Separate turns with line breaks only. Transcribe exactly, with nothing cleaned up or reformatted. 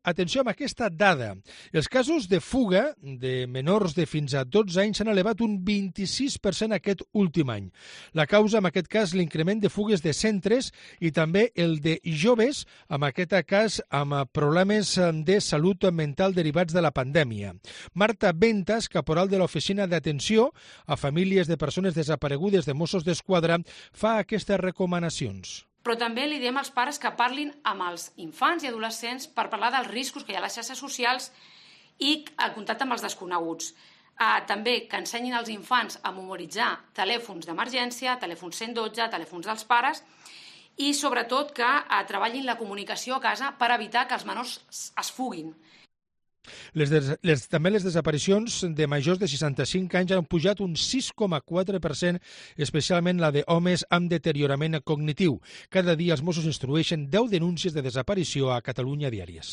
Atenció amb aquesta dada. Els casos de fuga de menors de fins a dotze anys s'han elevat un vint-i-sis per cent aquest últim any. La causa, en aquest cas, l'increment de fugues de centres i també el de joves, en aquest cas amb problemes de salut mental derivats de la pandèmia. Marta Ventas, caporal de l'Oficina d'Atenció a Famílies de Persones Desaparegudes de Mossos d'Esquadra, fa aquestes recomanacions.
Però també li diem als pares que parlin amb els infants i adolescents per parlar dels riscos que hi ha a les xarxes socials i el contacte amb els desconeguts. Uh, també que ensenyin als infants a memoritzar telèfons d'emergència, telèfons cent dotze, telèfons dels pares i sobretot que uh, treballin la comunicació a casa per evitar que els menors es fuguin.
Les des, les, també les desaparicions de majors de seixanta-cinc anys han pujat un sis coma quatre per cent, especialment la d'homes amb deteriorament cognitiu. Cada dia els Mossos instrueixen deu denúncies de desaparició a Catalunya diàries.